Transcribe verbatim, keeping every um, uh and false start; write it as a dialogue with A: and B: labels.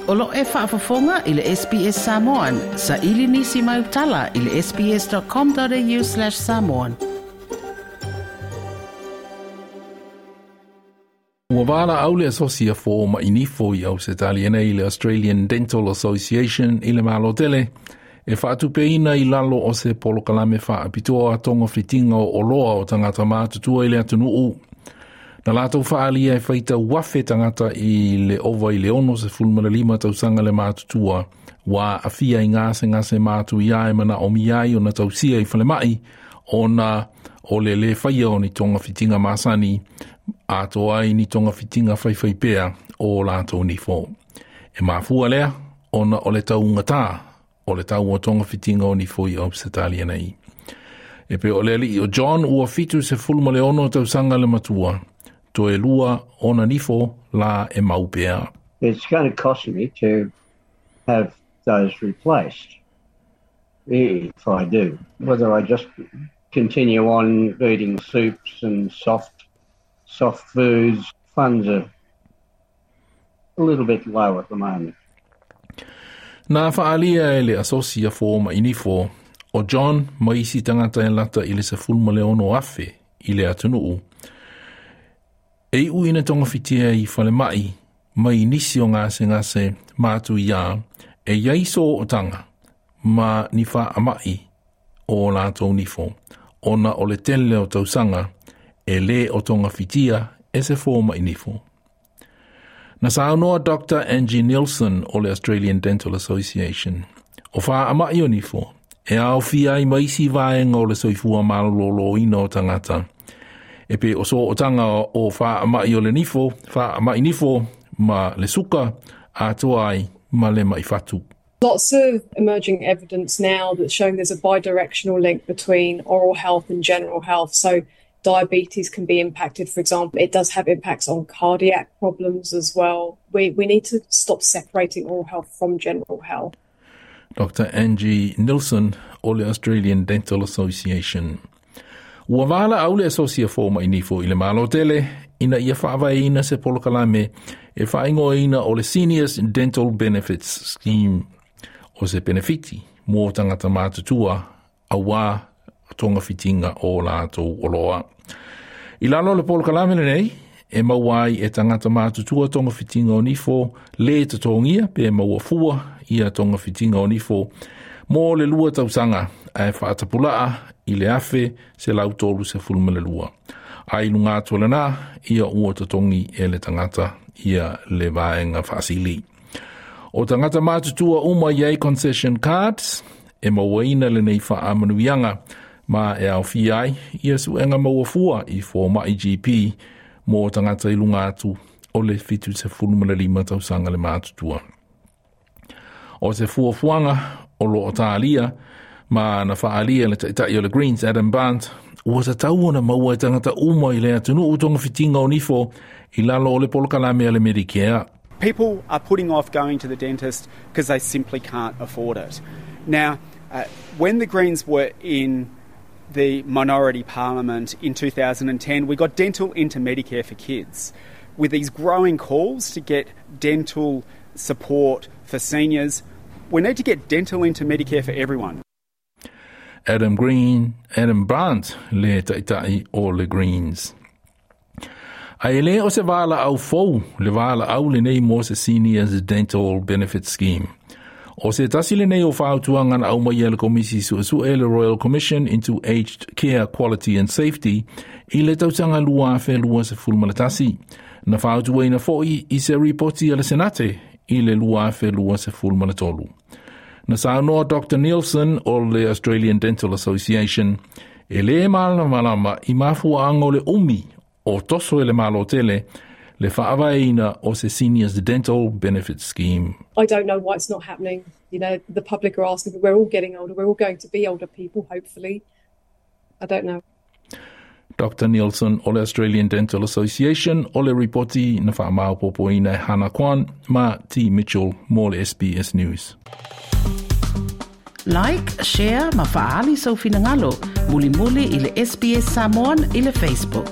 A: O lo e faafofoga i le S B S Samoan, sa ili nisi mai utala i le S B S dot com dot A U slash samoan.
B: Ua valaau le asosi a foma'i nifo i Ausetalia nei, le Australian Dental Association, i le Malo tele e faatupeina i lalo o se polokalame faapitoa togafitiga o oloa o tagata matutua i le atunuu. Na latou faaalia e faitau afe tagata i le ova i le ono sefulu ma le lima tausaga le matutua ua aafia i gasegase matuia e manaomia ai ona tausia i falemai ona o le lē faia o ni togafitiga masani atoa ai ni togafitiga faifaipea o latou nifo. E mafua lea ona o le taugatā o le tau o togafitiga o nifo i Ausetalia nei. E pei o le alii o John ua fitu sefulu ma le ono tausaga le matua. Toe lua ona nifo la e mau pea.
C: It's going to cost me to have those replaced if I do. Whether I just continue on eating soups and soft soft foods, funds are a little bit low at the moment.
B: Na faaalia e le asosi a foma'i nifo o John ma isi tagata e lata i le sefulu ma le ono afe i le atunuu. E iu ina togafitia i falemai mai nisi o gasegase matuia e iai sootaga ma ni faamai o latou nifo ona o le tele o tausaga e lē o togafitia e se foma'i nifo. Na saunoa Doctor Angie Nielsen o le Australian Dental Association. O faamai o nifo, e aofia ai ma isi vaega o le soifua malōlōina o tagata. E pei o sootaga o faamai o le nifo, faamai nifo ma le suka atoa ai ma le ma'i fatu.
D: Lots of emerging evidence now that's showing there's a bidirectional link between oral health and general health. So diabetes can be impacted, for example. It does have impacts on cardiac problems as well. We, we need to stop separating oral health from general health.
B: Doctor Angie Nielsen o le Australian Dental Association. Ua valaau le asosi a foma'i nifo i le Malo tele ina ia faavaeina se polokalame e faaigoaina o le Seniors Dental Benefits Scheme o se penefiti mo tagata matutua auā togafitiga o latou oloa. I lalo le polokalame lenei, e maua ai e tagata matutua togafitiga o nifo lē totogia pe maua fua ia togafitiga o nifo mo le lua tausaga ae faatapulaa i le afe selau tolu sefulu ma le lua. Ai luga atu o lenā, ia ua totogi e le tagata ia le vaega faasili. O tagata matutua uma i ai concession cards e mauaina lenei faamanuiaga ma e aofia ai ia suega maua fua i foma'i G P mo tagata i luga atu o le fitu sefulu ma le lima tausaga le matutua. O se fuafuaga o lo o talia ma na faaalia le taitai o le Greens Adam Bandt ua tatau ona maua e tagata uma i le atunuu togafitiga o nifo i lalo o le polokalame a le Medicare.
E: People are putting off going to the dentist because they simply can't afford it. Now, uh, when the Greens were in the minority parliament in twenty ten, we got dental into Medicare for kids. With these growing calls to get dental support for seniors, we need to get dental into Medicare for everyone.
B: Adam Green, Adam Bandt le taitai o le Greens. Ae lē o se valaau fou le valaau lenei mo se Seniors Dental Benefit Scheme. O se tasi lenei o fautuaga na aumaia e le Komisi Suesue, le Royal Commission into Aged Care Quality and Safety, i le tausaga lua afe lua sefulu ma le tasi. Na fautuaina foi i se ripoti a le Senate i le lua afe lua sefulu ma le tolu. Na saunoa Doctor Nielsen o le Australian Dental Association e lē malamalama i mafuaaga o le umi o toso e le Malo tele le faavaeina o se Seniors Dental Benefit Scheme.
D: I don't know why it's not happening. You know, the public are asking, but we're all getting older. We're all going to be older people, hopefully. I don't know.
B: Doctor Nielsen o le Australian Dental Association o le ripoti na faamaopoopoina e Hannah Kwan ma T. Mitchell mo le S B S News.
A: Like, share ma faaali sou finagalo. Mulimuli i le S B S Samoan i le Facebook.